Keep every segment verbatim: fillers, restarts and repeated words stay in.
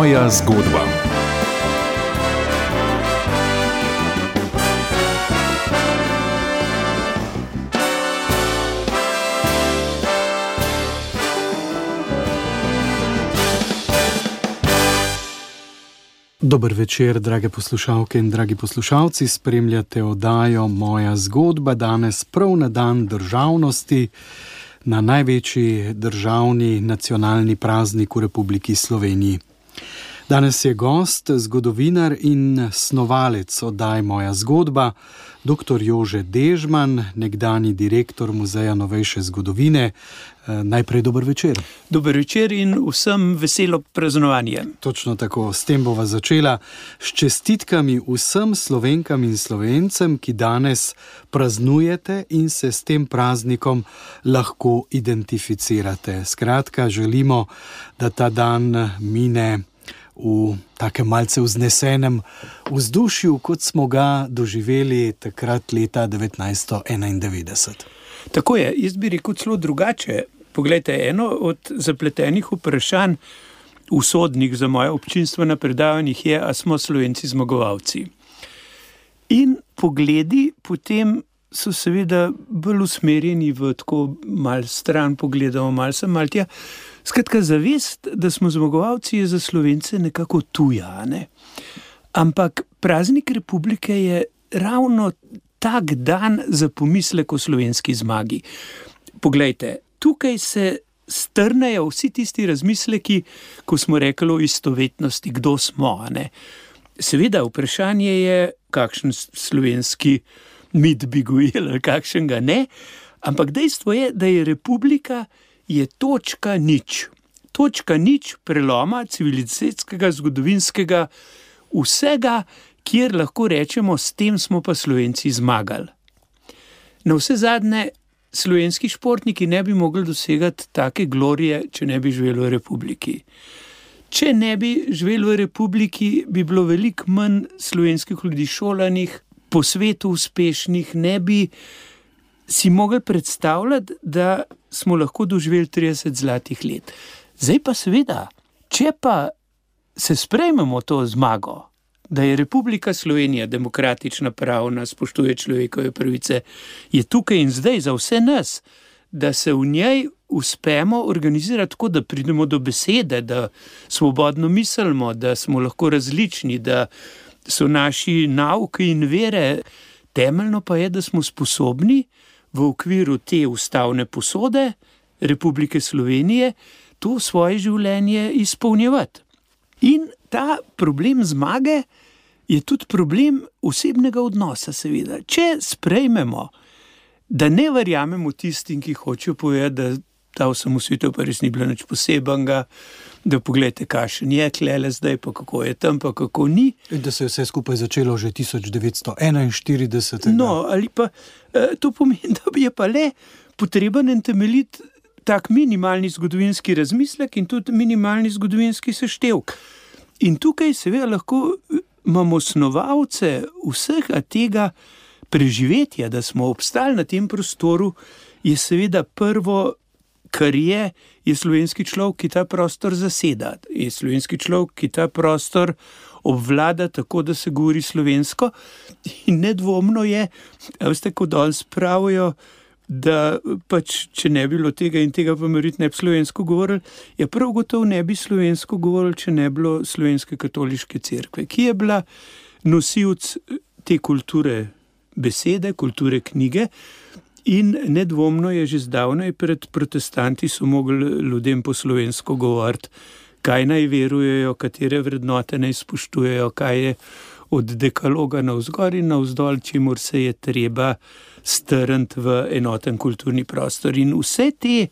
Moja zgodba. Dober večer, drage poslušalke in dragi poslušalci. Spremljate oddajo Moja zgodba, danes prav na dan državnosti, na največji državni nacionalni praznik v Republiki Sloveniji. Danes je gost, zgodovinar in snovalec oddaj Moja zgodba, doktor Jože Dežman, nekdanji direktor Muzeja novejše zgodovine. Najprej dober večer. Dober večer in vsem veselo praznovanje. Točno tako, s tem bova začela. S čestitkami vsem Slovenkam in Slovencem, ki danes praznujete in se s tem praznikom lahko identificirate. Skratka, želimo, da ta dan mine v takem malce vznesenem vzdušju, kot smo ga doživeli takrat leta devetnajststo enaindevetdeset. Tako je, jaz bi rekel celo drugače. Poglejte, eno od zapletenih vprašanj usodnih za moje občinstvo na predavanjih je, a smo Slovenci zmagovalci. In pogledi potem so seveda bolj usmerjeni v tako mal stran pogledamo, mal sem, mal tja. Skratka, zavest, da smo zmagovalci, je za Slovence nekako tuja, ne? Ampak praznik Republike je ravno tak dan za pomislek o slovenski zmagi. Poglejte, tukaj se strnejo vsi tisti razmisleki, ko smo rekli o istovetnosti, kdo smo, ne? Seveda, vprašanje je, kakšen slovenski mit bi gojil, ali kakšenga ne, ampak dejstvo je, da je Republika je točka nič. Točka nič preloma civilizacijskega, zgodovinskega, vsega, kjer lahko rečemo, s tem smo pa Slovenci zmagali. Na vse zadnje, slovenski športniki ne bi mogli dosegati take glorije, če ne bi živeli v Republiki. Če ne bi živeli v Republiki, bi bilo veliko manj slovenskih ljudi šolanih, po svetu uspešnih, ne bi si mogli predstavljati, da smo lahko doživeli trideset zlatih let. Zdaj pa seveda, če pa se sprejmemo to zmago, da je Republika Slovenija demokratična, pravna, spoštuje človekove pravice, je tukaj in zdaj za vse nas, da se v njej uspemo organizirati tako, da pridemo do besede, da svobodno mislimo, da smo lahko različni, da so naši nauki in vere. Temeljno pa je, da smo sposobni v okviru te ustavne posode Republike Slovenije to svoje življenje izpolnjevati. In ta problem zmage je tudi problem osebnega odnosa, seveda. Če sprejmemo, da ne verjamemo tistim, ki hočejo povedati, da ta osamosvojitev pa res ni bila nič posebenega, da pogledajte, kakšen je tlele zdaj, pa kako je tam, pa kako ni. In da se je vse skupaj začelo že tisoč devetsto enainštirideset. No, ali pa to pomeni, da je pa le potreben in temeljit tak minimalni zgodovinski razmislek in tudi minimalni zgodovinski seštevek. In tukaj seveda lahko imamo snovalce vsega tega preživetja, da smo obstali na tem prostoru, je seveda prvo, kar je, je slovenski človek, ki ta prostor zaseda. Je slovenski človek, ki ta prostor obvlada tako, da se govori slovensko. In nedvomno je, a veste, ko danes pravijo, da pač, če ne bi bilo tega in tega, pa morit ne bi slovensko govorili, je prav gotovo ne bi slovensko govorili, če ne bi bilo slovenske katoliške cerkve, ki je bila nosilc te kulture besede, kulture knjige. In nedvomno je že zdavnaj pred protestanti so mogli ljudem po slovensko govoriti, kaj naj verujejo, katere vrednote naj spoštujejo, kaj je od dekaloga navzgor in navzdol, čemur se je treba strniti v enoten kulturni prostor. In vse te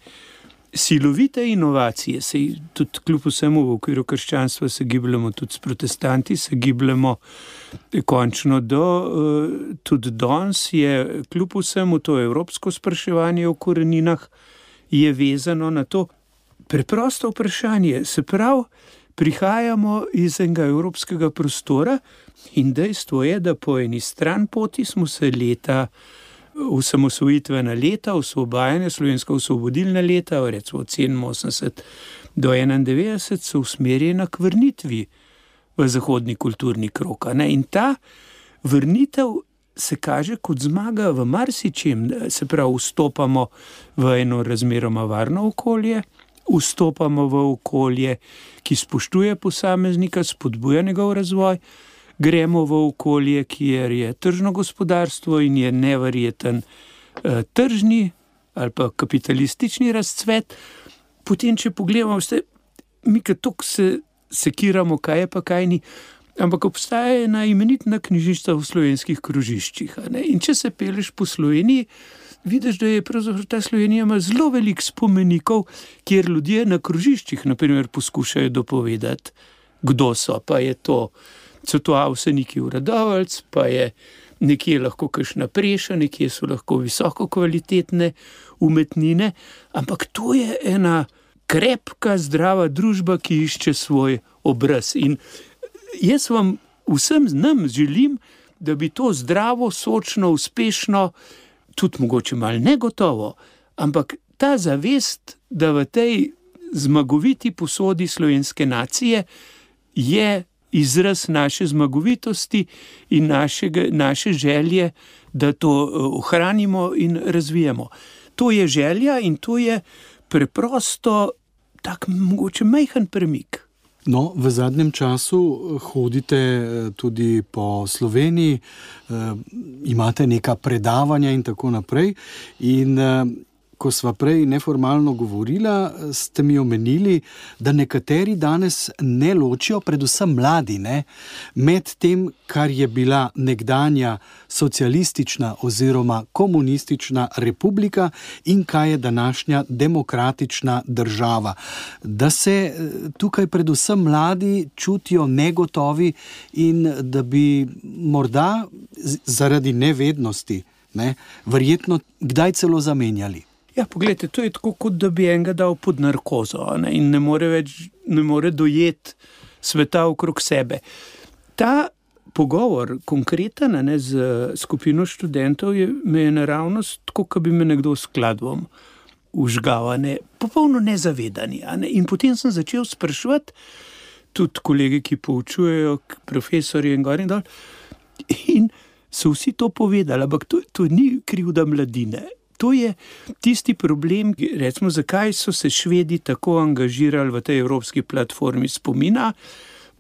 silovite inovacije, se tudi kljub vsemu v okviru krščanstva se gibljamo tudi s protestanti, se gibljamo končno do, tudi danes je kljub vsemu to evropsko spraševanje o koreninah je vezano na to preprosto vprašanje. Se pravi, prihajamo iz enega evropskega prostora in dejstvo je, da po eni stran poti smo se leta osamosvojitvena leta, osvobajanja, slovenska osvobodilna leta, recimo od sedeminosemdeset do enaindevetdeset, so usmerjena k vrnitvi v zahodni kulturni krog. In ta vrnitev se kaže kot zmaga v marsičem, se pravi, vstopamo v eno razmeroma varno okolje, vstopamo v okolje, ki spoštuje posameznika, spodbuja njegov razvoj, gremo v okolje, kjer je tržno gospodarstvo in je neverjeten eh, tržni ali pa kapitalistični razcvet. Potem, če pogledamo, vse, mi kaj toliko se sekiramo, kaj je pa kaj ni, ampak obstaja ena imenitna knjižnica v slovenskih krožiščih. In če se peleš po Sloveniji, vidiš, da je pravzaprav ta Slovenija ima zelo veliko spomenikov, kjer ljudje na krožiščih, na primer, poskušajo dopovedati, kdo so, pa je to, so to Avseniki v Radovljici, pa je nekje lahko kakšna preša, nekje so lahko visoko kvalitetne umetnine, ampak to je ena krepka, zdrava družba, ki išče svoj obraz. In jaz vam vsem nam želim, da bi to zdravo, sočno, uspešno, tudi mogoče malo negotovo, ampak ta zavest, da v tej zmagoviti posodi slovenske nacije je izraz naše zmagovitosti in našega, naše želje, da to ohranimo in razvijemo. To je želja in to je preprosto tak mogoče majhen premik. No, v zadnjem času hodite tudi po Sloveniji, imate neka predavanja in tako naprej. In ko sva prej neformalno govorila, ste mi omenili, da nekateri danes ne ločijo, predvsem mladi, ne, med tem, kar je bila nekdanja socialistična oziroma komunistična republika in kaj je današnja demokratična država. Da se tukaj predvsem mladi čutijo negotovi in da bi morda zaradi nevednosti, ne, verjetno kdaj celo zamenjali. Ja, pogledajte, to je tako, kot da bi enega dal pod narkozo, ne, in ne more več, ne more dojeti sveta okrog sebe. Ta pogovor, konkreten, ne, z skupino študentov, je, me je naravnost tako, kot bi me nekdo s kladvom užgal, ne, popolno nezavedani. Ne, in potem sem začel spraševati tudi kolege, ki poučujejo, profesorji in gor in dol, in so vsi to povedali, ampak to, to ni krivda mladine. To je tisti problem, recimo, zakaj so se Švedi tako angažirali v tej evropski platformi spomina,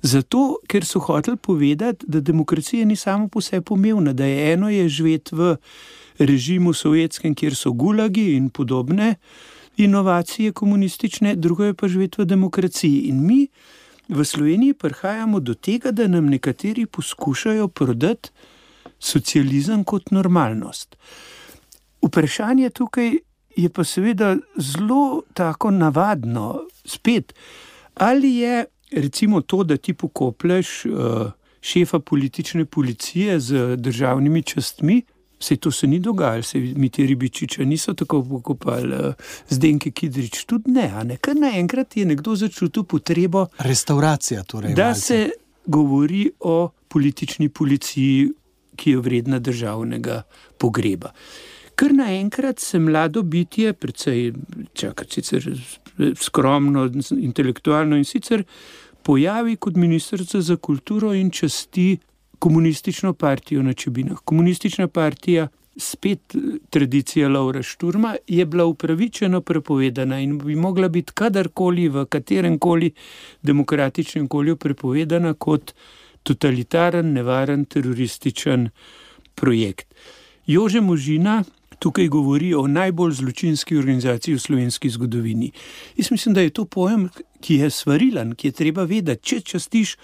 zato, ker so hoteli povedati, da demokracija ni samo po sebi pomembna, da je eno je živeti v režimu sovjetskem, kjer so gulagi in podobne inovacije komunistične, drugo je pa živeti v demokraciji. In mi v Sloveniji prihajamo do tega, da nam nekateri poskušajo prodati socializem kot normalnost. Vprašanje tukaj je pa seveda zelo tako navadno, spet, ali je recimo to, da ti pokopleš uh, šefa politične policije z državnimi častmi, saj to se ni dogajalo, saj Mitja Ribičiča niso tako pokopali, uh, Zdenke Kidrič tudi ne, a ne, kar naenkrat je nekdo začutil potrebo, restauracija torej, da malce. Se govori o politični policiji, ki je vredna državnega pogreba. Ker naenkrat se mlado bitje, precej čakaj, sicer skromno, intelektualno in sicer pojavi kot ministrica za kulturo in časti komunistično partijo na Čebinah. Komunistična partija, spet tradicija Lovra Šturma, je bila upravičeno prepovedana in bi mogla biti kadarkoli v kateremkoli demokratičnem okolju prepovedana kot totalitaren, nevaren, terorističen projekt. Jože Možina tukaj govori o najbolj zločinski organizaciji v slovenski zgodovini. Jaz mislim, da je to pojem, ki je svarilen, ki je treba vedeti. Če častiš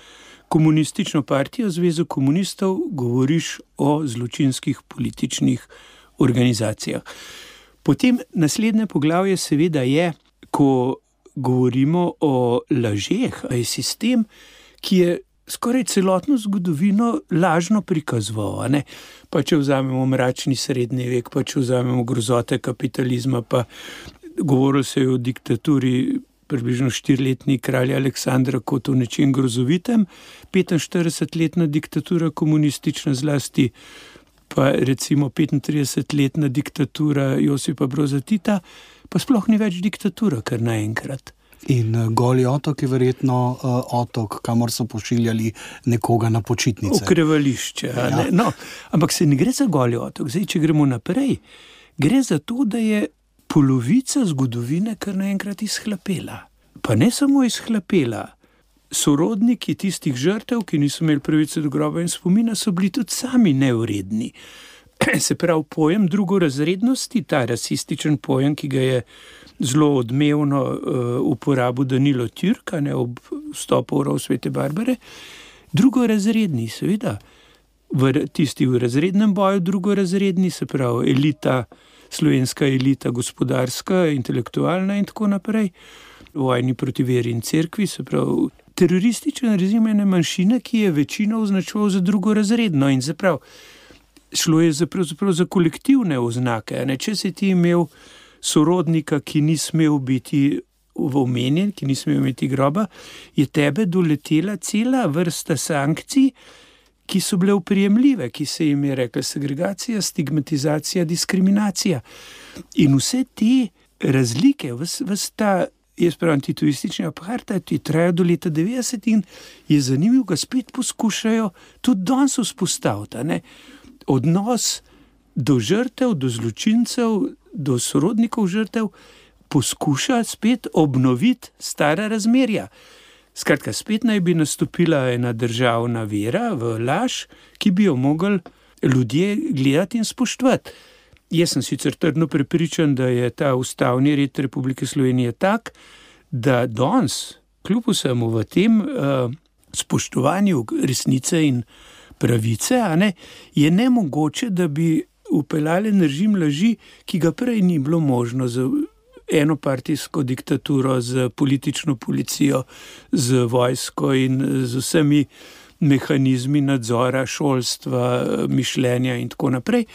komunistično partijo, Zvezo komunistov, govoriš o zločinskih političnih organizacijah. Potem naslednje poglavje seveda je, ko govorimo o lažeh, je sistem, ki je skoraj celotno zgodovino lažno prikazoval, ne? Pa če vzamemo mračni srednji vek, pa če vzamemo grozote kapitalizma, pa govorilo se je o diktaturi približno štiriletni kralja Aleksandra kot o nečem grozovitem, petinštiridesetletna diktatura komunistična, zlasti pa recimo petintridesetletna diktatura Josipa Broza Tita, pa sploh ni več diktatura, kar naenkrat. In Goli otok je verjetno uh, otok, kamor so pošiljali nekoga na počitnice. Okrevališče. Ja. No, ampak se ne gre za Goli otok. Zdaj, če gremo naprej, gre za to, da je polovica zgodovine kar naenkrat izhlapela. Pa ne samo izhlapela. Sorodniki tistih žrtev, ki niso imeli pravice do groba in spomina, so bili tudi sami nevredni. Se pravi, pojem drugorazrednosti, ta rasističen pojem, ki ga je zelo odmevno uh, uporabil Danilo Türk, ne, ob vstopu v rov Svete Barbare, drugorazredni, seveda, v tisti v razrednem boju drugorazredni, se pravi, elita, slovenska elita, gospodarska, intelektualna in tako naprej, vojni proti veri in cerkvi, se pravi, terorističen režim ene manjšine, ki je večino označeval za drugorazredno in se pravi, šlo je za, za kolektivne oznake. Ne? Če si ti imel sorodnika, ki ni smel biti omenjen, ki ni smel imeti groba, je tebe doletela cela vrsta sankcij, ki so bile uprijemljive, ki se jim je rekla segregacija, stigmatizacija, diskriminacija. In vse te razlike, ves, ves ta, jaz pravim, titoistični apartheid, ki traja do leta devetdeset in je zanimivo, ga spet poskušajo tudi danes vzpostaviti. Ne? Odnos do žrtev, do zločincev, do sorodnikov žrtev poskuša spet obnoviti stara razmerja. Skratka, spet naj bi nastopila ena državna vera v laž, ki bi jo mogli ljudje gledati in spoštovati. Jaz sem sicer trdno prepričan, da je ta ustavni red Republike Slovenije tak, da danes, kljub vsemu v tem uh, spoštovanju resnice in pravice, a ne, je nemogoče, da bi upeljali režim laži, ki ga prej ni bilo možno z enopartijsko diktaturo, z politično policijo, z vojsko in z vsemi mehanizmi nadzora, šolstva, mišljenja in tako naprej.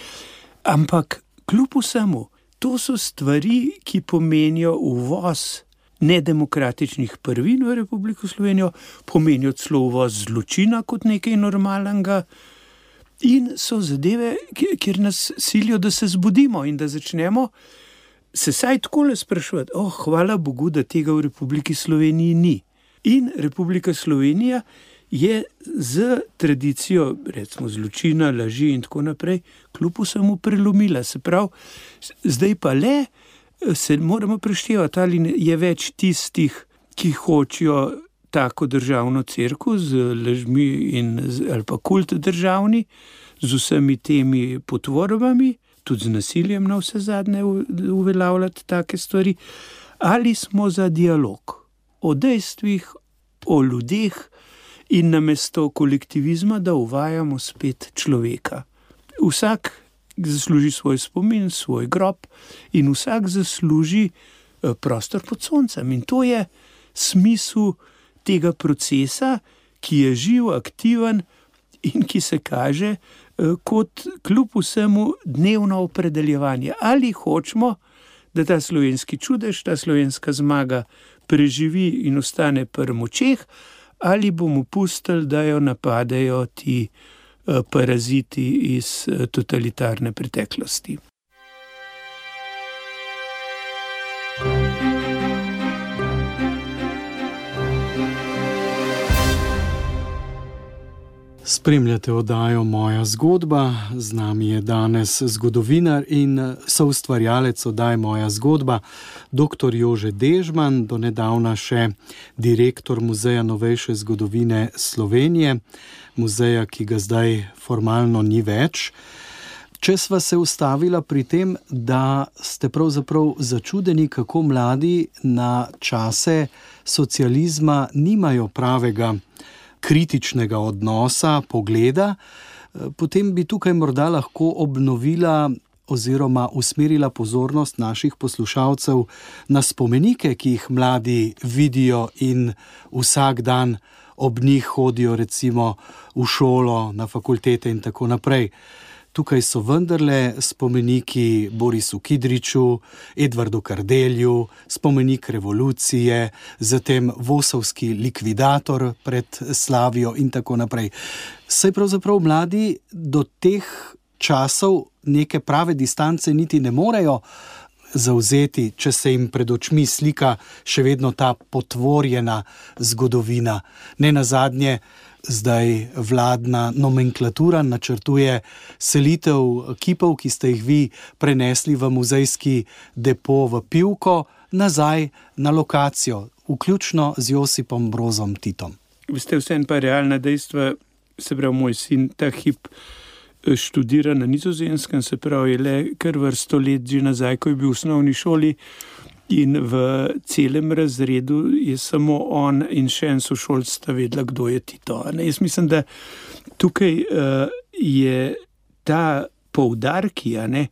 Ampak kljub vsemu, to so stvari, ki pomenijo uvoz nedemokratičnih prvin v Republiko Slovenijo, pomenijo celo uvoz zločina kot nekaj normalnega in so zadeve, kjer nas silijo, da se zbudimo in da začnemo se saj takole spraševati, oh, hvala Bogu, da tega v Republiki Sloveniji ni. In Republika Slovenija je z tradicijo, recimo zločina, laži in tako naprej, kljub vsemu prelomila. Se pravi, zdaj pa le se moramo preštevati, ali je več tistih, ki hočijo tako državno cerkev z lažmi in, ali pa kult državni, z vsemi temi potvorbami, tudi z nasiljem na vse zadnje uveljavljati take stvari, ali smo za dialog o dejstvih, o ljudeh in namesto kolektivizma, da uvajamo spet človeka. Vsak zasluži svoj spomin, svoj grob in vsak zasluži prostor pod soncem. In to je smisel tega procesa, ki je živ, aktiven in ki se kaže kot kljub vsemu dnevno opredeljevanje. Ali hočemo, da ta slovenski čudež, ta slovenska zmaga preživi in ostane pri močeh, ali bomo pustili, da jo napadejo ti paraziti iz totalitarne preteklosti. Spremljate oddajo Moja zgodba, z nami je danes zgodovinar in soustvarjalec oddaje Moja zgodba, doktor Jože Dežman, do nedavna še direktor Muzeja novejše zgodovine Slovenije, muzeja, ki ga zdaj formalno ni več. Če sva se ustavila pri tem, da ste pravzaprav začudeni, kako mladi na čase socializma nimajo pravega kritičnega odnosa, pogleda, potem bi tukaj morda lahko obnovila oziroma usmerila pozornost naših poslušalcev na spomenike, ki jih mladi vidijo in vsak dan ob njih hodijo recimo v šolo, na fakultete in tako naprej. Tukaj so vendarle spomeniki Borisu Kidriču, Edvardu Kardelju, spomenik revolucije, zatem Vosovski likvidator pred Slavijo in tako naprej. Saj pravzaprav mladi do teh časov neke prave distance niti ne morejo zavzeti, če se jim pred očmi slika še vedno ta potvorjena zgodovina. Ne nazadnje, zdaj vladna nomenklatura načrtuje selitev kipov, ki ste jih vi prenesli v muzejski depo v Pivko, nazaj na lokacijo, vključno z Josipom Brozom Titom. Veste, vseeno pa realna dejstva, se pravi, moj sin ta hip študira na Nizozemskem, se pravi, je le kar vrsto let že nazaj, ko je bil v osnovni šoli, in v celem razredu je samo on in še en sošolc sta vedela, kdo je Tito. Ne? Jaz mislim, da tukaj uh, je ta poudarki, ne,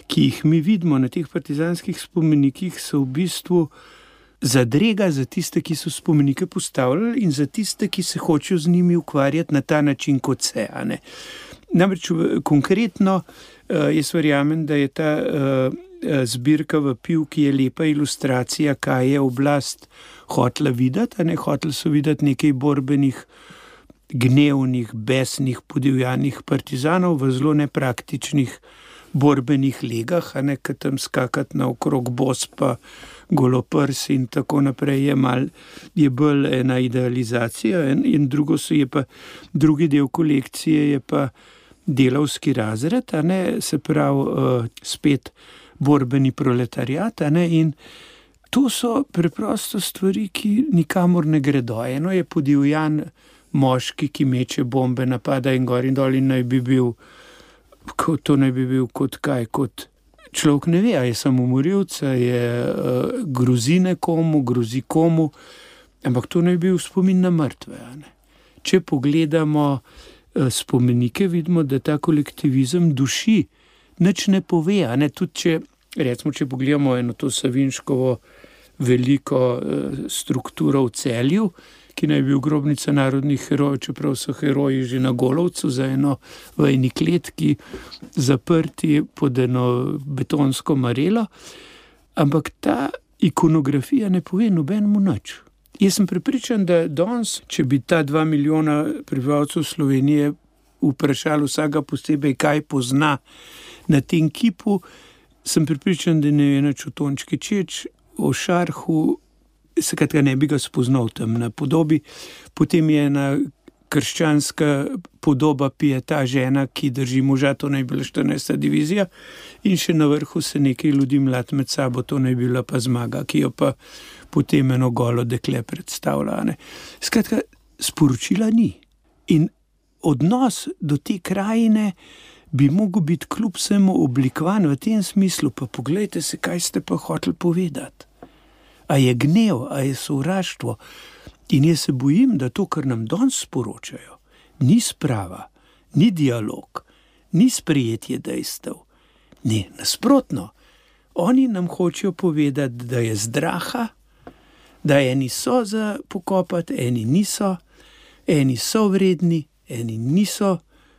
ki jih mi vidimo na teh partizanskih spomenikih, so v bistvu zadrega za tiste, ki so spomenike postavljali, in za tiste, ki se hočejo z njimi ukvarjati na ta način, kot se. Ne? Namreč konkretno, uh, jaz verjamem, da je ta uh, zbirka v Pivki je lepa ilustracija, kaj je oblast hotela videti, a ne hoteli so videti nekaj borbenih, gnevnih, besnih, podivjanih partizanov v zelo nepraktičnih borbenih legah, a ne, kad tam skakati na okrog bos pa goloprsi in tako naprej, je, mal, je bolj ena idealizacija, in, in drugo so je pa, drugi del kolekcije je pa delavski razred, a ne, se pravi uh, spet borbeni proletariat, a ne, in to so preprosto stvari, ki nikamor ne gredo. Eno je podivjan moški, ki meče bombe, napada in gor in dol in naj bi bil, to naj bi bil kot kaj, kot človek ne ve, a je samomorilec, je uh, grozi nekomu, grozi komu, ampak to naj bi bil spomin na mrtve, a ne. Če pogledamo uh, spomenike, vidimo, da ta kolektivizem duši, nič ne pove, a ne, tudi če, recimo, če pogledamo eno to Savinškovo veliko uh, strukturo v Celju, ki naj bi bil grobnica narodnih herojev, čeprav so heroji že na Golovcu za eno v eni kletki zaprti pod eno betonsko marelo, ampak ta ikonografija ne pove nobenemu nič. Jaz sem prepričan, da danes, če bi ta dva milijona prebivalcev Slovenije vprašali vsega posebej, kaj pozna na tem kipu, sem prepričan, da ne ve nič o Tončki Čeč, o Šarhu, skratka ne bi ga spoznal tam na podobi. Potem je ena krščanska podoba Pijeta, žena, ki drži moža, to naj bila štirinajsta divizija, in še na vrhu se nekaj ljudi mlad med sabo, to naj bila pa Zmaga, ki jo pa potem eno golo dekle predstavlja. Ne. Skratka, sporočila ni. In odnos do te krajine bi mogel biti kljub vsemu oblikovan v tem smislu, pa poglejte se, kaj ste pa hoteli povedati. A je gnev, a je sovraštvo. In jaz se bojim, da to, kar nam danes sporočajo, ni sprava, ni dialog, ni sprejetje dejstev. Ne, nasprotno. Oni nam hočejo povedati, da je zdraha, da eni so za pokopati, eni niso, eni so vredni, eni niso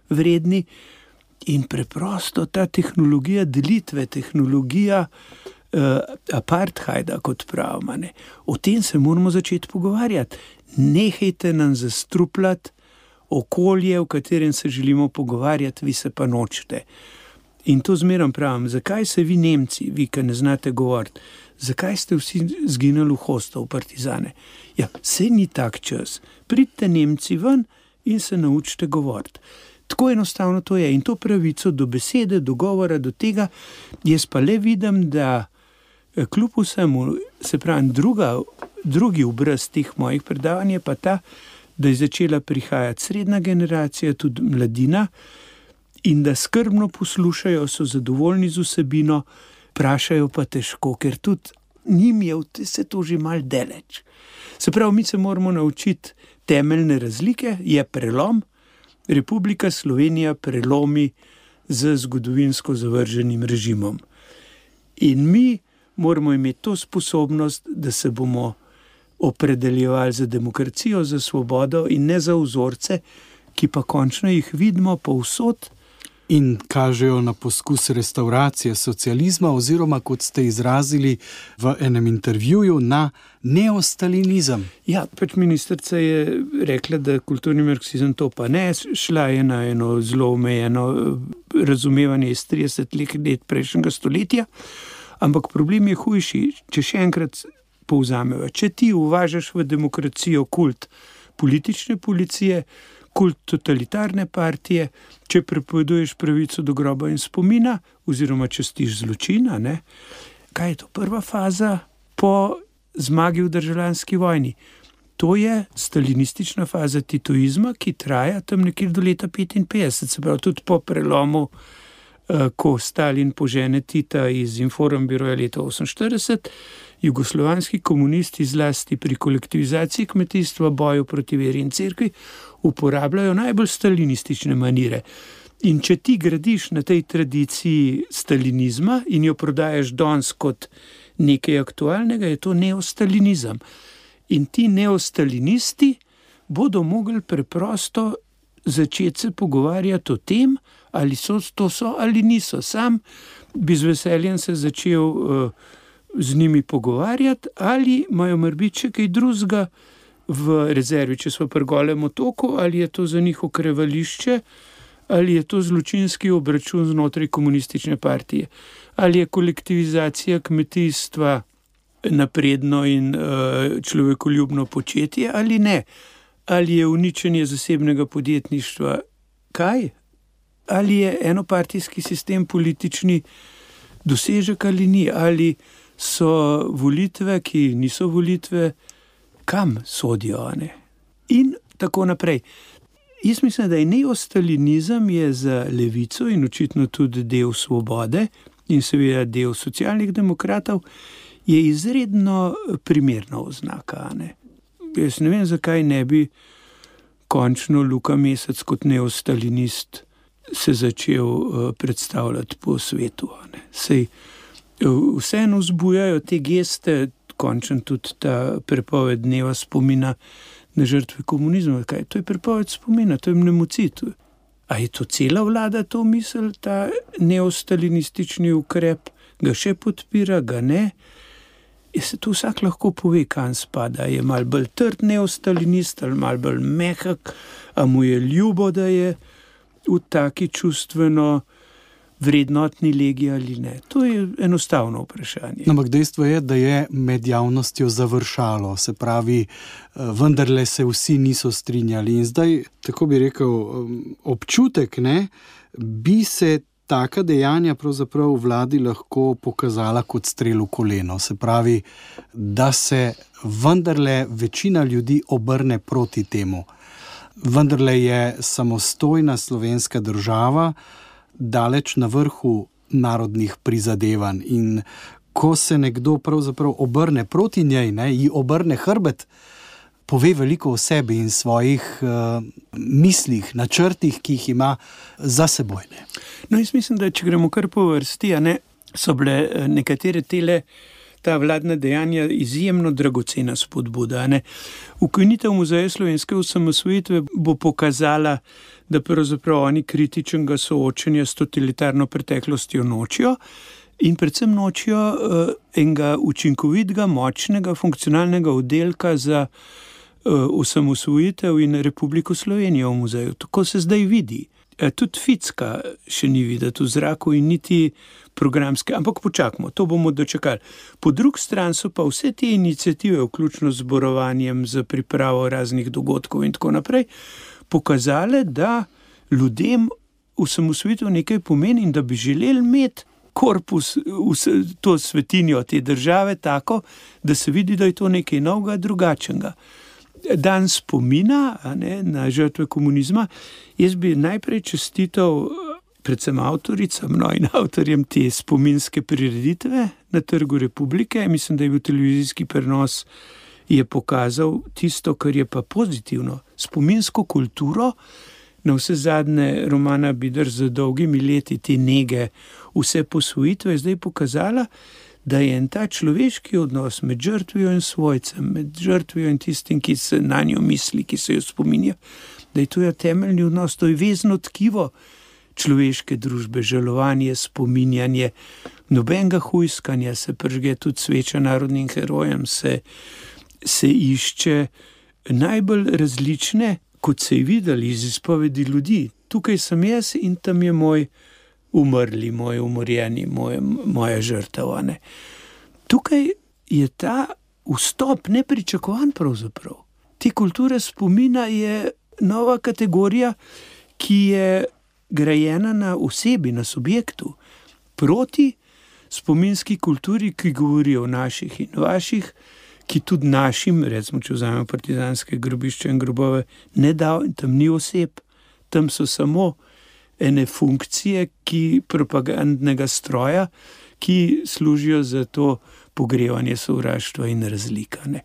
vredni. In preprosto ta tehnologija delitve, tehnologija Uh, apartheida, kot pravimo, ne. O tem se moramo začeti pogovarjati. Nehajte nam zastrupljati okolje, v katerem se želimo pogovarjati, vi se pa nočete. In to zmerom pravim, zakaj se vi Nemci, vi, ki ne znate govoriti, zakaj ste vsi zginali v Hosto, v partizane? Ja, saj ni tak čas. Pridite Nemci ven in se naučite govoriti. Tako enostavno to je. In to pravico do besede, do govora, do tega, jaz pa le vidim, da kljub vsemu, se pravi, druga, drugi obraz teh mojih predavanj je pa ta, da je začela prihajati srednja generacija, tudi mladina, in da skrbno poslušajo, so zadovoljni z vsebino, vprašajo pa težko, ker tudi njim je vse to že mal daleč. Se pravi, mi se moramo naučiti temeljne razlike, je prelom, Republika Slovenija prelomi z zgodovinsko zavrženim režimom. In mi moramo imeti to sposobnost, da se bomo opredeljevali za demokracijo, za svobodo in ne za vzorce, ki pa končno jih vidimo povsod In kažejo na poskus restauracije socializma oziroma, kot ste izrazili v enem intervjuju, na neostalinizem. Ja, pač ministrica je rekla, da kulturni marksizem to pa ne, šla je na eno zelo omejeno razumevanje iz trideset let prejšnjega stoletja, ampak problem je hujši, če še enkrat povzameva. Če ti uvažaš v demokracijo kult politične policije, kult totalitarne partije, če prepoveduješ pravico do groba in spomina, oziroma častiš zločina, ne? Kaj je to prva faza po zmagi v državljanski vojni? To je stalinistična faza titoizma, ki traja tam nekje do leta petinpetdeset, se pravi tudi po prelomu, ko Stalin požene Tita iz Informbiroja leta oseminštirideset, jugoslovanski komunisti zlasti pri kolektivizaciji kmetijstva, boju proti veri in cerkvi uporabljajo najbolj stalinistične manire. In če ti gradiš na tej tradiciji stalinizma in jo prodajaš danes kot nekaj aktualnega, je to neostalinizem. In ti neostalinisti bodo mogli preprosto začeti se pogovarjati o tem, ali so to so ali niso. Sam bi z veseljem se začel uh, z njimi pogovarjati, ali imajo morebiti še kaj drugega v rezervi, če so pri Golem otoku, ali je to za njih okrevališče, ali je to zločinski obračun znotraj komunistične partije, ali je kolektivizacija kmetijstva napredno in uh, človekoljubno početje, ali ne. Ali je uničenje zasebnega podjetništva kaj? Ali je enopartijski sistem politični dosežek ali ni? Ali so volitve, ki niso volitve, kam sodijo, ne? In tako naprej. Jaz mislim, da je neostalinizem je za levico in očitno tudi del Svobode in seveda del socialnih demokratov je izredno primerna oznaka, ne? Jaz ne vem, zakaj ne bi končno Luka Mesec kot neostalinist se začel uh, predstavljati po svetu. Ne. Sej uh, vseeno vzbujajo te geste, končno tudi ta prepoved dneva spomina na žrtve komunizma. Kaj? To je prepoved spomina, to je mnemocid. A je to cela vlada to misel, ta neostalinistični ukrep? Ga še podpira, ga ne? Je se tu vsak lahko pove, kam spada. Je malo bolj trd neostalinist ali malo bolj mehak, a mu je ljubo, da je v taki čustveno vrednotni legi ali ne. To je enostavno vprašanje. Ampak dejstvo je, da je med javnostjo završalo, se pravi, vendarle se vsi niso strinjali. In zdaj, tako bi rekel, občutek, ne, bi se taka dejanja pravzaprav v vladi lahko pokazala kot strel v koleno. Se pravi, da se vendarle večina ljudi obrne proti temu. Vendarle je samostojna slovenska država daleč na vrhu narodnih prizadevanj. In ko se nekdo pravzaprav obrne proti njej, ne, ji obrne hrbet, pove veliko o sebi in svojih uh, mislih, načrtih, ki jih ima za seboj. Ne. No, jaz mislim, da če gremo kar po vrsti, a ne, so bile nekatere tele, ta vladna dejanja izjemno dragocena spodbuda. Ne. Ukinitev Muzeja slovenske osamosvojitve bo pokazala, da pravzaprav oni kritičnega soočenja s totalitarno preteklostjo nočijo in predvsem nočijo uh, enega učinkovitega, močnega, funkcionalnega oddelka za uh, osamosvojitev in Republiko Slovenijo v muzeju. Tako se zdaj vidi. E, tudi Ficka še ni videti v zraku in niti programske, ampak počakamo, to bomo dočekali. Po drugi strani so pa vse te iniciative, vključno z zborovanjem, za pripravo raznih dogodkov in tako naprej, pokazale, da ljudem osamosvojitev nekaj pomeni in da bi želeli imeti korpus, to svetinjo te države tako, da se vidi, da je to nekaj novega, drugačnega. Dan spomina, a ne, na žrtve komunizma, jaz bi najprej čestital predvsem avtoricam, no in avtorjem te spominske prireditve na Trgu Republike. Mislim, da je bil televizijski prenos, je pokazal tisto, kar je pa pozitivno. Spominsko kulturo, na vse zadnje Romana Bidar z dolgimi leti te nege, vse posvojitve je zdaj pokazala, da je en ta človeški odnos med žrtvijo in svojcem, med žrtvijo in tistim, ki se na njo misli, ki se jo spominja, da je to je temeljni odnos, to je vezno tkivo človeške družbe, žalovanje, spominjanje, nobenega hujskanja, se prižge tudi sveča narodnim herojem, se, se išče najbolj različne, kot se je videli iz izpovedi ljudi. Tukaj sem jaz in tam je moj umrli, moj umorjeni, moj, moja žrtev. Ne. Tukaj je ta vstop nepričakovan pravzaprav. Te kulture spomina je nova kategorija, ki je grajena na osebi, na subjektu, proti spominski kulturi, ki govori o naših in vaših, ki tudi našim, recimo, če vzamemo partizanske grobišče in grobove, ne da, in tam ni oseb, tam so samo ene funkcije, ki propagandnega stroja, ki služijo za to pogrevanje sovraštva in razlika. Ne.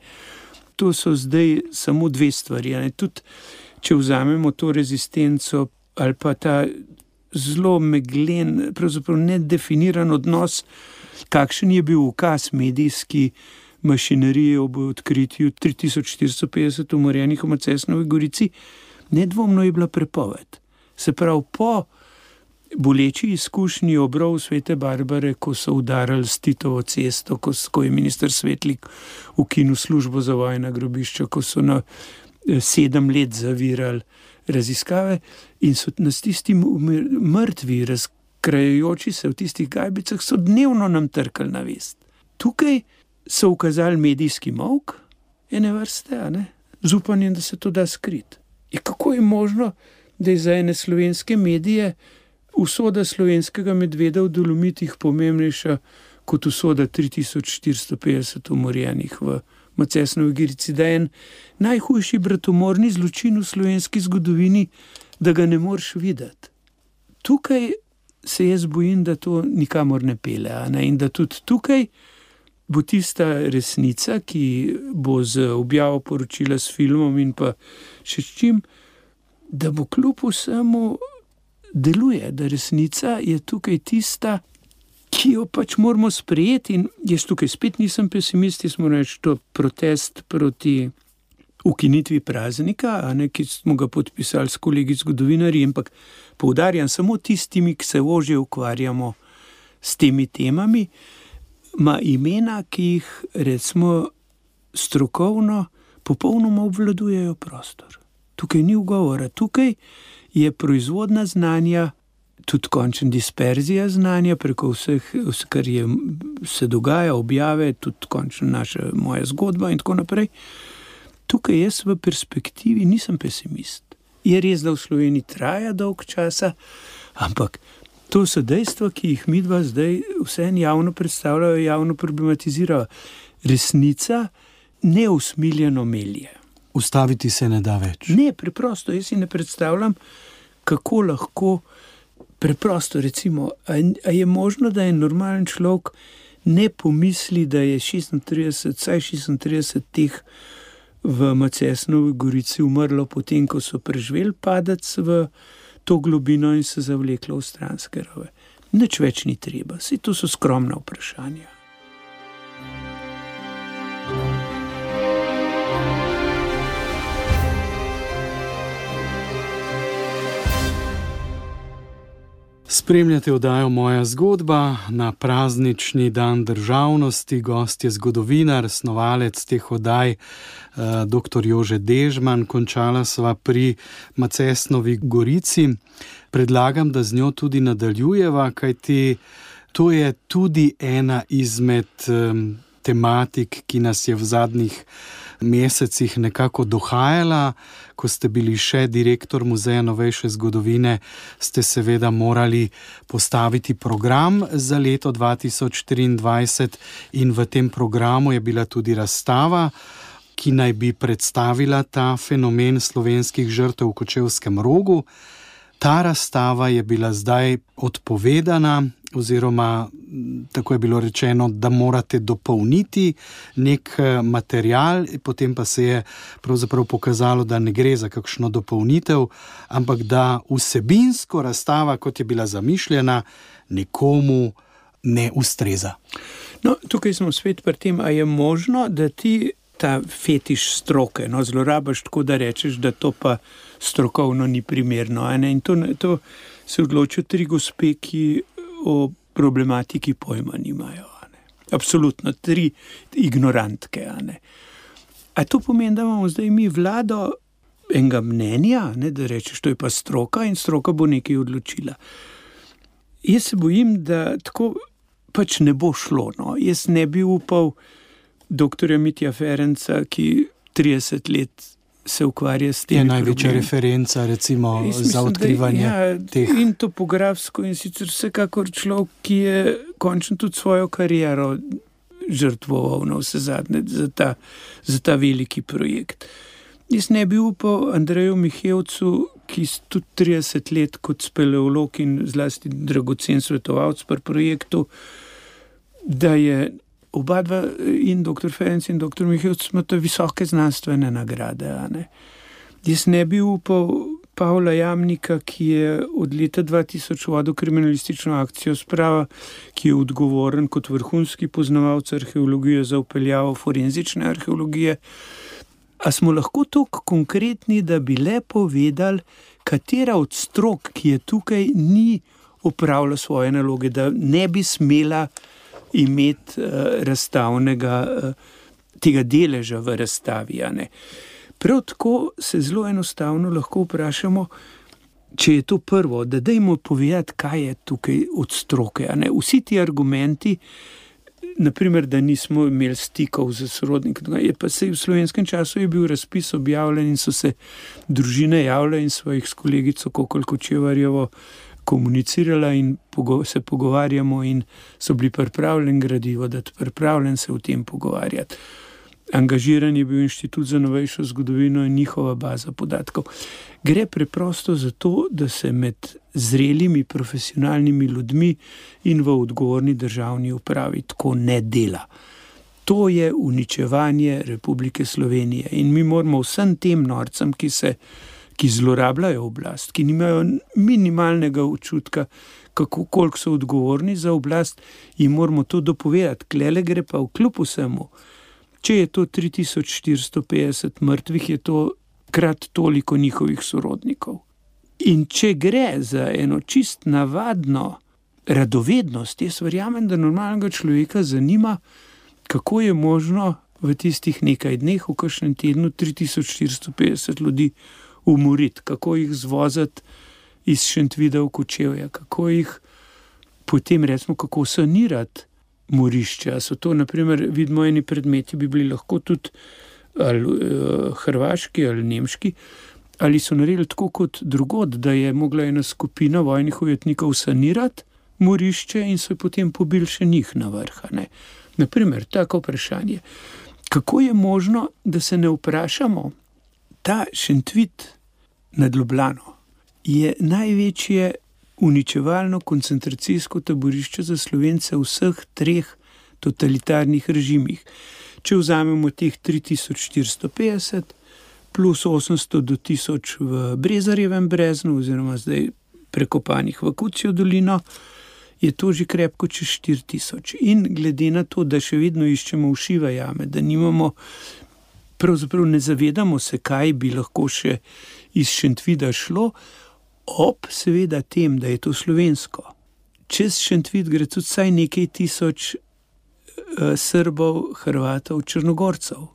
To so zdaj samo dve stvari. Ne. Tudi, če vzamemo to rezistenco ali pa ta zelo meglen, pravzaprav nedefiniran odnos, kakšen je bil ukaz medijski mašinerije ob odkritju tri tisoč štiristo petdeset umorjenih v Macesnovi Gorici, nedvomno je bila prepoved. Se pravi, po boleči izkušnji obrov Svete Barbare, ko so udarali s Titovo cesto, ko, ko je minister Svetlik ukinil službo za vojna grobišča, ko so na sedem let zavirali raziskave in so nas tisti mrtvi, razkrajajoči se v tistih gajbicah, so dnevno nam trkali na vest. Tukaj so ukazali medijski molk ene vrste, a ne, z upanjem, da se to da skriti. In kako je možno, da je za ene slovenske medije usoda slovenskega medveda v Dolomitih pomembnejša kot usoda tri tisoč štiristo petdeset umorjenih v Macesnovi Gorici, da je en najhujši bratomorni zločin v slovenski zgodovini, da ga ne moreš videti. Tukaj se jaz bojim, da to nikamor ne pele, a ne? In da tudi tukaj bo tista resnica, ki bo z objavo poročila s filmom in pa še s čim, da bo kljub vsemu deluje, da resnica je tukaj tista, ki jo pač moramo sprejeti. In jaz tukaj spet nisem pesimist, jaz moram reči, to protest proti ukinitvi praznika, a ne, ki smo ga podpisali s kolegi zgodovinarji, ampak poudarjam samo tistimi, ki se ožje ukvarjamo s temi temami, ima imena, ki jih recimo strokovno popolnoma obvladujejo prostor. Tukaj ni ugovora, tukaj je proizvodna znanja, tudi končna disperzija znanja preko vseh, kar je, se dogaja, objave, tudi končna naša, moja zgodba in tako naprej. Tukaj jaz v perspektivi nisem pesimist. Je res, da v Sloveniji traja dolg časa, ampak to so dejstva, ki jih midva zdaj vse javno predstavljajo, javno problematizirajo. Resnica neusmiljeno melje. Ustaviti se ne da več. Ne, preprosto, jaz si ne predstavljam, kako lahko preprosto, recimo, a, a je možno, da je normalen človek ne pomisli, da je šestintrideset, vsaj šestintrideset teh v Macesnovi Gorici umrlo potem, ko so preživeli padec v to globino in se zavleklo v stranske rove. Nič več ni treba, saj to so skromna vprašanja. Spremljate oddajo Moja zgodba na praznični dan državnosti. Gost je zgodovinar, snovalec teh oddaj, doktor Jože Dežman. Končala sva pri Macesnovi Gorici. Predlagam, da z njo tudi nadaljujeva, kajti to je tudi ena izmed tematik, ki nas je v zadnjih mesecih nekako dohajala. Ko ste bili še direktor Muzeja novejše zgodovine, ste seveda morali postaviti program za leto dva tisoč triindvajset in v tem programu je bila tudi razstava, ki naj bi predstavila ta fenomen slovenskih žrtev v Kočevskem Rogu. Ta razstava je bila zdaj odpovedana, oziroma tako je bilo rečeno, da morate dopolniti nek material, potem pa se je pravzaprav pokazalo, da ne gre za kakšno dopolnitev, ampak da vsebinsko razstava, kot je bila zamišljena, nekomu ne ustreza. No, tukaj smo spet pri tem, a je možno, da ti ta fetiš stroke, no, zlorabaš tako, da rečeš, da to pa strokovno ni primerno. Ne? In to, to se odločijo tri gospe, ki o problematiki pojma nimajo. Absolutno, tri ignorantke. A, a to pomeni, da imamo zdaj mi vlado enega mnenja, ne, da rečeš, to je pa stroka in stroka bo nekaj odločila. Jaz se bojim, da tako pač ne bo šlo. No. Jaz ne bi upal doktorja Mitja Ferenca, ki trideset let se ukvarja s tem. Je največja referenca recimo mislim, za odkrivanje da, ja, teh. In topografsko in sicer vsekakor človek, ki je končno tudi svojo kariero žrtvoval na vse zadnje za ta, za ta veliki projekt. Jaz ne bi upal Andreju Mihevcu, ki tudi trideset let kot speleolog in zlasti dragocen svetovalec pri projektu, da je oba dva, in doktor Ferenc in doktor Mihevc, imata visoke znanstvene nagrade. Ne? Jaz ne bi upal Pavla Jamnika, ki je od leta dva tisoč vodil kriminalistično akcijo Sprava, ki je odgovoren kot vrhunski poznavalec arheologije za vpeljavo forenzične arheologije. A smo lahko toliko konkretni, da bi le povedali, katera od strok, ki je tukaj, ni opravila svoje naloge, da ne bi smela imeti uh, razstavnega uh, tega deleža v razstavi. Ne. Prav tako se zelo enostavno lahko vprašamo, če je to prvo, da dajmo povedati, kaj je tukaj od stroke. Ne. Vsi ti argumenti, naprimer, da nismo imeli stikov z sorodnikom, je pa se v slovenskem času je bil razpis objavljen in so se družine javile in svojih s kolegico Kokol Kočevarjevo komunicirala in se pogovarjamo in so bili pripravljeni gradivo, da pripravljen se o tem pogovarjati. Angažiran je bil Inštitut za novejšo zgodovino in njihova baza podatkov. Gre preprosto za to, da se med zrelimi profesionalnimi ljudmi in v odgovorni državni upravi tako ne dela. To je uničevanje Republike Slovenije in mi moramo vsem tem norcem, ki se ki zlorabljajo oblast, ki nimajo minimalnega občutka, kako, koliko so odgovorni za oblast, in moramo to dopovedati. Klele gre pa vkljub vsemu. Če je to tri tisoč štiristo petdeset mrtvih, je to krat toliko njihovih sorodnikov. In če gre za eno čist navadno radovednost, jaz verjamem, da normalnega človeka zanima, kako je možno v tistih nekaj dneh, v kakšnem tednu, tri tisoč štiristo petdeset ljudi umoriti, kako jih zvozati iz Šentvida v Kočevje, kako jih potem, recimo, kako sanirati morišča. So to, naprimer, vidimo, eni predmeti bi bili lahko tudi ali uh, hrvaški ali nemški, ali so naredili tako kot drugod, da je mogla ena skupina vojnih ujetnikov sanirati morišče in so potem pobili še njih na vrha. Ne? Naprimer, tako vprašanje. Kako je možno, da se ne vprašamo, ta Šentvid nad Ljubljano je največje uničevalno koncentracijsko taborišče za Slovence v vseh treh totalitarnih režimih. Če vzamemo teh tri tisoč štiristo petdeset plus osemsto do tisoč v Brezarjevem breznu oziroma zdaj prekopanih v Kucijo dolino, je to že krepko čez štiri tisoč. In glede na to, da še vedno iščemo ušive jame, da nimamo, pravzaprav ne zavedamo se, kaj bi lahko še iz Šentvida šlo, ob seveda tem, da je to slovensko. Čez Šentvid gre tudi vsaj nekaj tisoč uh, Srbov, Hrvatov, Črnogorcev.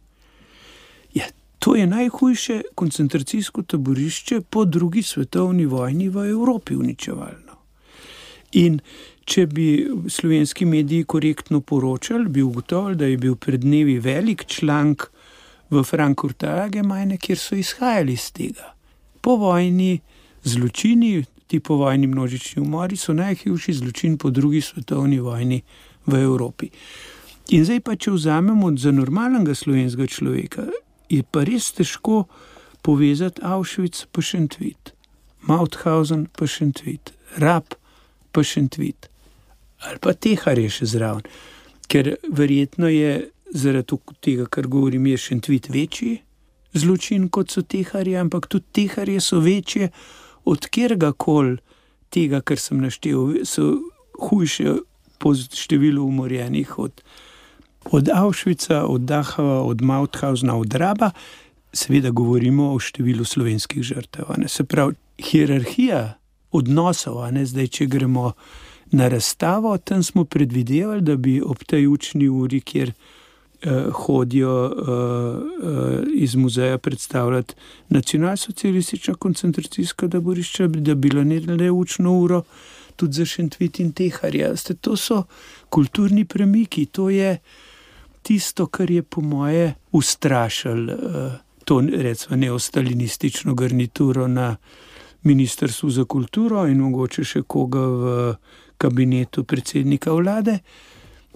Ja, to je najhujše koncentracijsko taborišče po drugi svetovni vojni v Evropi uničevalno. In če bi slovenski mediji korektno poročali, bi ugotovili, da je bil pred dnevi velik članek v Frankfurter Allgemeine, kjer so izhajali iz tega. Po vojni zločini, ti povojni množični umori, so najhujši zločin po drugi svetovni vojni v Evropi. In zdaj pa, če vzamemo za normalnega slovenskega človeka, je pa res težko povezati Auschwitz pa Šentvid, Mauthausen pa Šentvid, Rab pa Šentvid, ali pa Teharje še zraven, ker verjetno je zaradi tega, kar govorim, je Šentvid večji zločin, kot so Teharje, ampak tudi Teharje so večje od kjergakoli tega, kar sem naštel, so hujše po številu umorjenih od, od Auschwitza, od Dachau, od Mauthausena, od Raba. Seveda govorimo o številu slovenskih žrtev. Ne? Se pravi, hierarhija odnosov. A ne? Zdaj, če gremo na razstavo, tam smo predvidevali, da bi ob tej učni uri, kjer uh, hodijo uh, uh, iz muzeja predstavljati nacionalsocialistična koncentracijska taborišča, da bi naredili učno uro tudi za Šentvid in Teharja. To so kulturni premiki, to je tisto, kar je po moje ustrašilo uh, to, recimo, neostalinistično garnituro na Ministrstvu za kulturo in mogoče še koga v kabinetu predsednika vlade.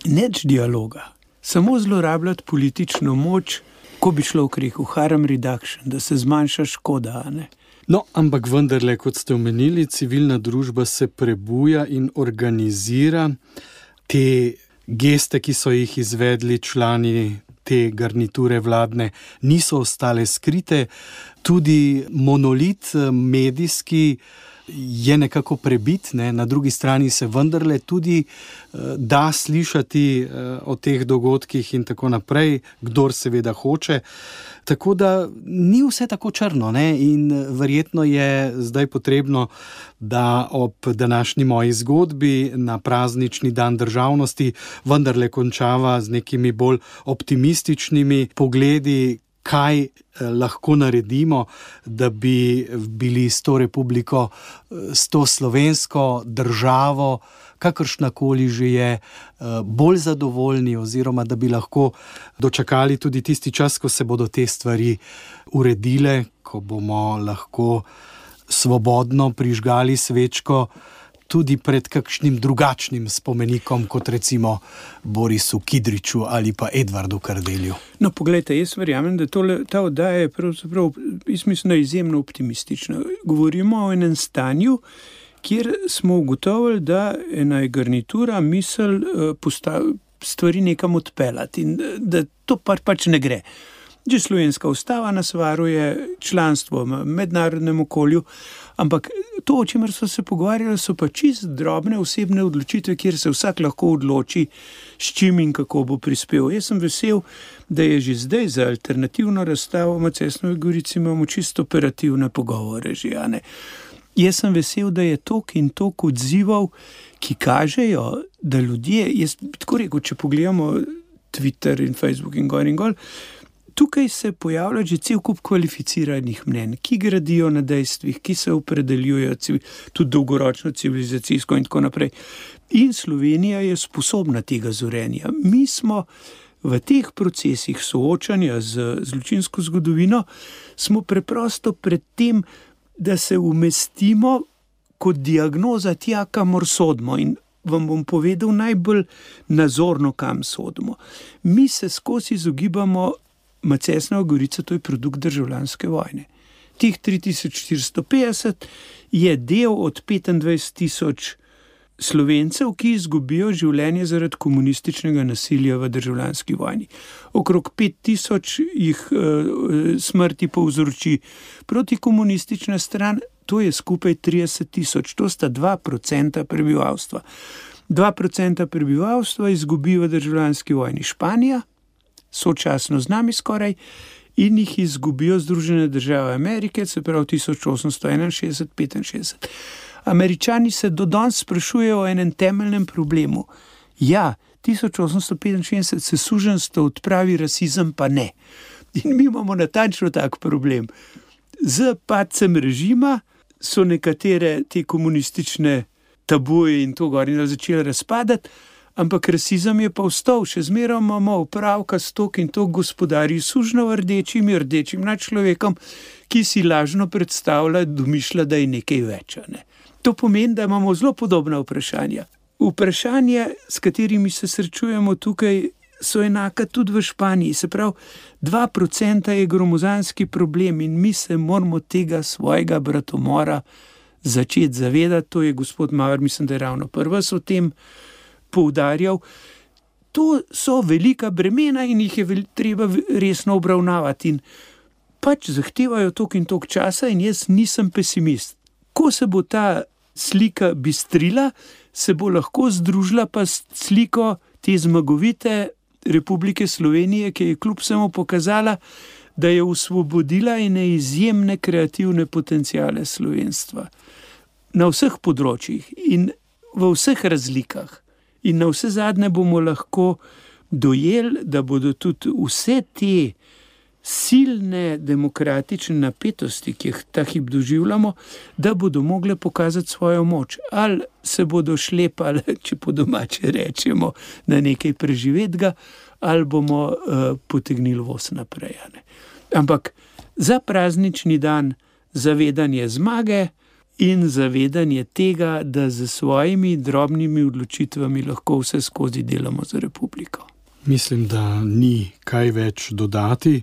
Neč dialoga, samo zlorabljati politično moč, ko bi človek rekel harm reduction, da se zmanjša škoda, a ne? No, ampak vendarle, kot ste omenili, civilna družba se prebuja in organizira. Te geste, ki so jih izvedli člani te garniture vladne, niso ostale skrite. Tudi monolit medijski je nekako prebit, ne? Na drugi strani se vendarle tudi uh, da slišati uh, o teh dogodkih in tako naprej, kdor seveda hoče. Tako da ni vse tako črno, ne? In verjetno je zdaj potrebno, da ob današnji moji zgodbi na praznični dan državnosti vendarle končava z nekimi bolj optimističnimi pogledi, kaj lahko naredimo, da bi bili s to republiko, s to slovensko državo, kakršnakoli že je, bolj zadovoljni oziroma da bi lahko dočakali tudi tisti čas, ko se bodo te stvari uredile, ko bomo lahko svobodno prižgali svečko tudi pred kakšnim drugačnim spomenikom, kot recimo Borisu Kidriču ali pa Edvardu Kardelju. No, poglejte, jaz verjamem, da tole, ta oddaja je pravzaprav, jaz mislim, izjemno optimistična. Govorimo o enem stanju, kjer smo ugotovili, da ena je garnitura misel postav, stvari nekam odpeljati in da to pač, pač ne gre. Že slovenska ustava nas varuje, članstvo v mednarodnem okolju, ampak to, o čemer so se pogovarjali, so pa čist drobne osebne odločitve, kjer se vsak lahko odloči, s čim in kako bo prispel. Jaz sem vesel, da je že zdaj za alternativno razstavo v Macesnovi Gorici imamo čisto operativne pogovore že, a ne. Jaz sem vesel, da je tok in tok odzival, ki kažejo, da ljudje, jaz tako rekel, če pogledamo Twitter in Facebook in gor in gor, tukaj se pojavlja že cel kup kvalificiranih mnenj, ki gradijo na dejstvih, ki se opredeljujejo tudi dolgoročno civilizacijsko in tako naprej. In Slovenija je sposobna tega zorenja. Mi smo v teh procesih soočanja z zločinsko zgodovino, smo preprosto pred tem, da se umestimo kot diagnoza tja, kamor sodimo. In vam bom povedal najbolj nazorno, kam sodimo. Mi se skozi izogibamo Macesnova Gorica, to je produkt državljanske vojne. Tih tri tisoč štiristo petdeset je del od petindvajset tisoč Slovencev, ki izgubijo življenje zaradi komunističnega nasilja v državljanski vojni. Okrog pet tisoč jih e, smrti povzroči protikomunistična stran, to je skupaj trideset tisoč, to sta dva procenta prebivalstva. dva procenta prebivalstva izgubi v državljanski vojni Španija, sočasno z nami skoraj, in jih izgubijo Združene države Amerike, se pravi tisoč osemsto enainšestdeset petinšestdeset. Američani se do danes sprašujejo o enem temeljnem problemu. Ja, tisoč osemsto petinšestdeset se suženjstvo odpravi, rasizem pa ne. In mi imamo natančno tak problem. Z padcem režima so nekatere te komunistične tabuje in to gor in začeli razpadati, ampak rasizem je pa vstal, še zmeraj imamo opravka s tok in tok gospodarji sužnjo rdečim in rdečim nad človekom, ki si lažno predstavlja, domišlja, da je nekaj več. Ne? To pomeni, da imamo zelo podobna vprašanja. Vprašanja, s katerimi se srečujemo tukaj, so enaka tudi v Španiji. Se pravi, dva procenta je gromozanski problem in mi se moramo tega svojega bratomora začeti zavedati. To je gospod Maurer, mislim, da je ravno prvi o tem poudarjal. To so velika bremena in jih je treba resno obravnavati in pač zahtevajo tok in tok časa in jaz nisem pesimist. Ko se bo ta slika bistrila, se bo lahko združila pa s sliko te zmagovite Republike Slovenije, ki je kljub vsemu pokazala, da je osvobodila ene izjemne kreativne potenciale slovenstva. na vseh področjih in v vseh razlikah. In na vse zadnje bomo lahko dojeli, da bodo tudi vse te silne demokratične napetosti, ki jih ta hip doživljamo, da bodo mogle pokazati svojo moč. Ali se bodo šlepali, če po domače rečemo, na nekaj preživetega, ali bomo uh, potegnili voz naprej. Ne? Ampak za praznični dan zavedanje zmage in zavedanje tega, da z svojimi drobnimi odločitvami lahko vse skozi delamo za republiko. Mislim, da ni kaj več dodati.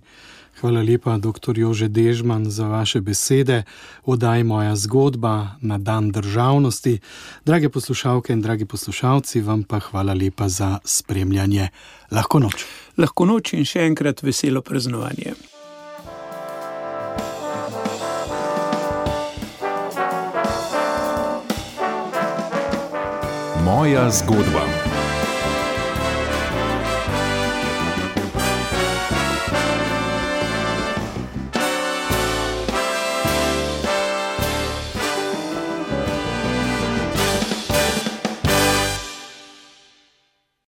Hvala lepa, doktor Jože Dežman, za vaše besede. Oddaji Moja zgodba na dan državnosti. Drage poslušalke in dragi poslušalci, vam pa hvala lepa za spremljanje. Lahko noč. Lahko noč in še enkrat veselo praznovanje. Moja zgodba.